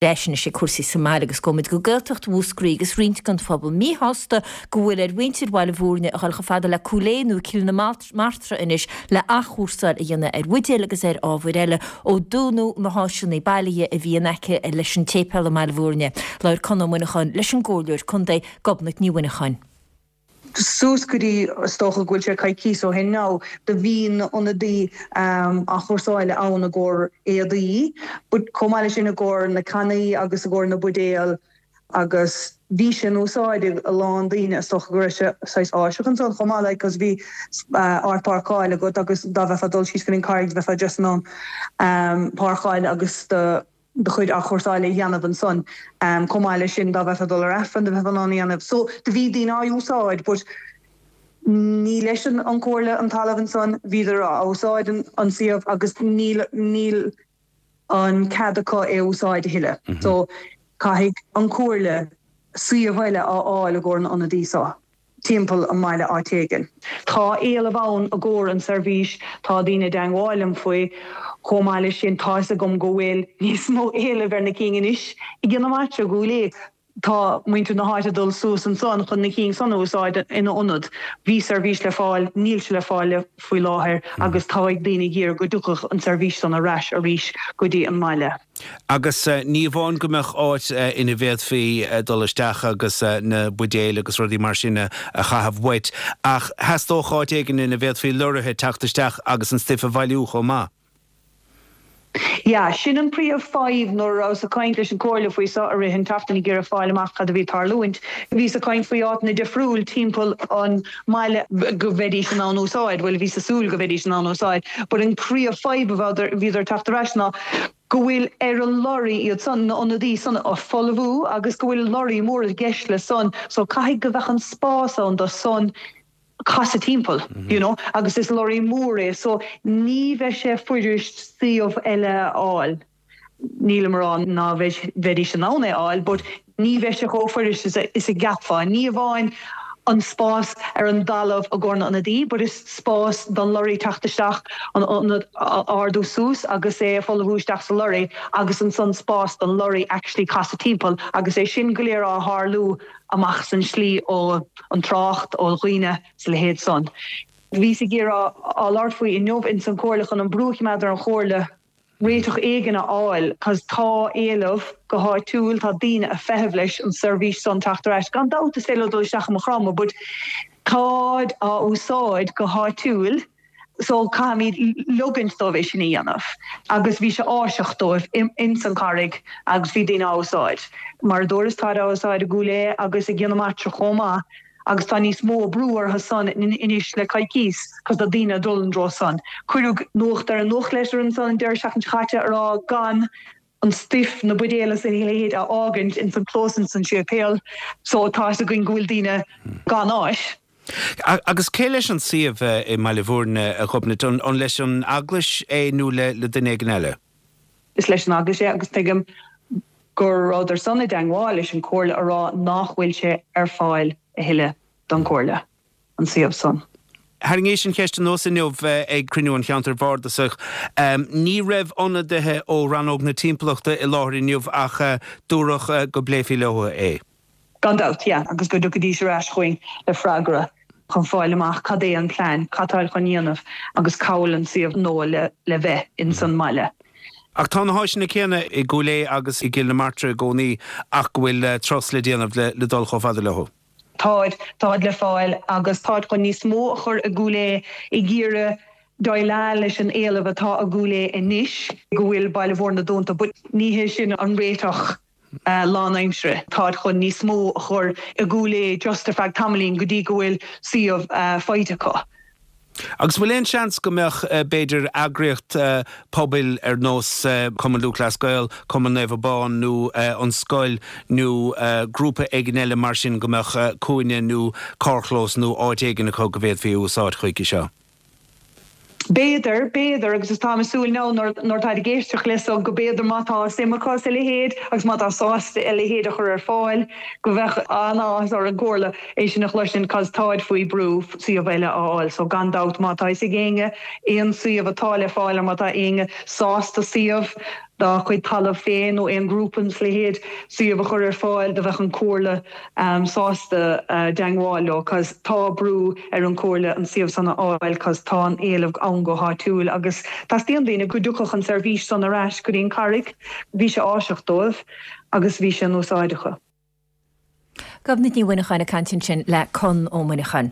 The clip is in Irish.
Leis anois ag cúrsaí sa mbaile agus gabhfaimid go Gaeltacht Mhúscraí agus roinnt den phobal míshásta go bhfuil ar mhuintir Bhaile Bhúirne a dhul chomh fada le Cúil Aodha nó Cill na Martra anois le athchúrsáil a dhéanamh ar bhuidéil agus ar ábhair eile ó dúnadh na háiseanna bailithe a bhí in aice leis an tséipéal i mBaile Bhúirne. Labhair Conn Ó Muineacháin leis an gComhairleoir Contae, Gobnait Ní Mhuineacháin. Suas go dtí, is dócha go bhfuil sé coicíos ó shin now, do bhí na ionadaí athchúrsáile ann i gcomhair éadaí but chomh maith leis sin i gcomhair na cannaí agus i gcomhair na buidéal agus bhí sé in úsáid ag a lán daoine, is dócha go raibh sé saghas áiseach ansan chomh maith like cos bhí áit páirceáil agat agus dá mbeifeá ag dul síos go dtí an Carraig bheifeá just in ann páirceáil agus do do chuid athchúrsáile a dhéanamh ansan. Chomh maith leis sin, dá mbeifeá ag dul ar Aifreann, do bheifeá in ann a dhéanamh. So, do bhí daoine á úsáid but ní leis an Chomhairle an talamh ansan, bhíodar á úsáid an suíomh agus níl, níl an cead acu é a úsáid a thuilleadh. So, caithfidh an Chomhairle suíomh eile a fháil i gcomhair na n-ionadaí so. timpeall an mbaile áit éigin. Tá éileamh ann i gcomhair an seirbhís, tá daoine i dteangmháil liom faoi. Chomh maith leis sin, tá fhios agam go bhfuil níos mó éilimh ar na cinn anois i gCill na Martra, i gCúil Aodha. Tá muintir na háite ag dul suas ansan chun na cinn san a úsáid ina ionad. Bhí seirbhís le fáil, níl sé le fáil faoi láthair agus tá ag daoine ag iarraidh go dtiocfadh an seirbhís san ar ais arís go dtí an mbaile. Agus ní amháin go mbeadh áit ina bhféadfaí dul isteach agus na buidéil agus rudaí mar sin a chaitheamh uait, ach theastódh áit éigin ina bhféadfaí lorraithe teacht isteach agus an stuif a bhailiú chomh maith. Yeah, sin an príomh fadhb nuair a rabhas ag caint leis an Comhairle faoi seo i rith an tseachtain ag iarraidh fáil amach cad a bhí ag tarlúint. Bhíos ag caint faoi áiteanna difriúil timpeall an mbaile go mbeidís in ann úsáid, bhuel bhíos ag súil go mbeidís in ann úsáid, but an príomh fadhb a bhíodar ag teacht ar ais ná go bhfuil ar an lorry iad san, na ionadaí san a folmhú agus go bhfuil lorry mór i gceist le san so caithfidh go bheadh an spás ann do san casadh timpeall you know agus is lorry mór é so ní bheidh sé fuirist suíomh eile a fháil. Nílim a rá ná bheidís in ann é a fháil but ní bheidh sé chomh fuirist is a gceapfá. Ní amháin an spás ar an dtalamh i gcomhair na n-ionadaí but is spás don lorry teacht isteach, an ionad a ardú suas agus é a folmhú isteach sa lorry agus ansan spás don lorry actually casadh timpeall agus é sin go léir á tharlú amach san slí ó an trácht, ó dhaoine 's a leithéid san. Bhíos ag iarraidh á labhairt faoi inniu ins an Chomhairle chun an brú a choimeád ar an Chomhairle réiteach éigin a fháil cos tá éileamh go háitiúil, tá daoine a' feitheamh leis an seirbhís san teacht ar ais. Gan dabht is féidir leo dul isteach i Maigh Chromtha but táid á úsáid go háitiúil so caithfimid ligeaint dóibh é sin a dhéanamh agus bhí sé áiseach dóibh ins an Charraig agus bhí daoine á úsáid. Mar a dúras táid á úsáid i gCúil Aodha agus i gCill na Martra chomh maith. Agus tá níos mó brú orthu san anois le coicíos cos tá daoine ag dul an dtreo san. Cuireadh nuacht ar an nuachtlitir ansan an deireadh seachtain seo chaite a rá gan an stuif, na buidéil is a leithéid a fhágaint ins an clós ins an séipéal. So tá fhios againn go bhfuil daoine gan áit. Agus cé leis an suíomh i mBaile Bhúirne, a Ghobnait? An leis an Eaglais é nó le duine éigin eile? Is leis an Eaglais é agus tuigim go rabhadar san i dteangmháil leis an Chomhairle a rá nach bhfuil sé ar fáil a thuilleadh don Chomhairle, an suíomh san. Tharraingíos an cheist anuas inniu ag cruinniú an Cheantair Bhardasaigh. Ní raibh ionadaithe ó Rannóg na Timpeallachta i láthair inniu ach dúradh go bpléifí leo é. Gan dabht, yeah, agus go dtiocfaidís ar ais chugainn le freagra chun fáil amach cad é an plean, cad táid chun dhéanamh agus cá bhfuil an suíomh nua le bheith ins an mbaile. Ach tá na háiseanna céanna i gCúil Aodha agus i gCill na Martra i gcónaí ach go bhfuil turas le déanamh le dul chomh fada leo. Táid, táid le fáil agus táid chun níos mó a chur i gCúil Aodha ag iarraidh déileáil leis an éileamh atá i gCúil Aodha anois go bhfuil Baile Bhúirne dúnta but ní hé sin an réiteach. lánaimsire. Táid chun níos mó a chur i gCúil Aodha just ar feadh tamaillín go dtí go bhfuil suíomh faighte acu. Agus bhfuil aon seans go mbeadh, b'fhéidir, eagraíocht pobail ar nós Cumann Lúthchleas Gael, Cumann Naomh Abán nó an scoil nó grúpa éigin eile mar sin go mbeadh cúinne nó carrchlós nó áit éigin acu go bhféadfaí a úsáid chuige seo? B'fhéidir, b'fhéidir, agus is táim ag súil now nuair nuair atáid ag éisteacht le so go b'fhéidir má tá suim acu sa leithéid agus má tá sásta a leithéid a chur ar fáil go bheadh an-áthas ar an gComhairle é sin a chloisint cos táid faoi brú suíomh eile a fháil so gan dabht má tá fhios ag éinne aon suíomh atá le fáil or má tá éinne sásta suíomh. dá chuid talamh féin nó aon ghrúpa nó a leithéid suíomh a chur ar fáil do bheadh an Comhairle sásta dteangmháil leo cos tá brú ar an Chomhairle an suíomh san a fháil cos tá an éileamh ann go háitiúil agus teastaíonn daoine go dtiocfadh an seirbhís san ar ais go dtí an Charraig. Bhí sé áiseach dóibh agus bhí sé in úsáid acu. Gobnait Ní Mhuineacháin ag caint ansin le Conn Ó Muineacháin.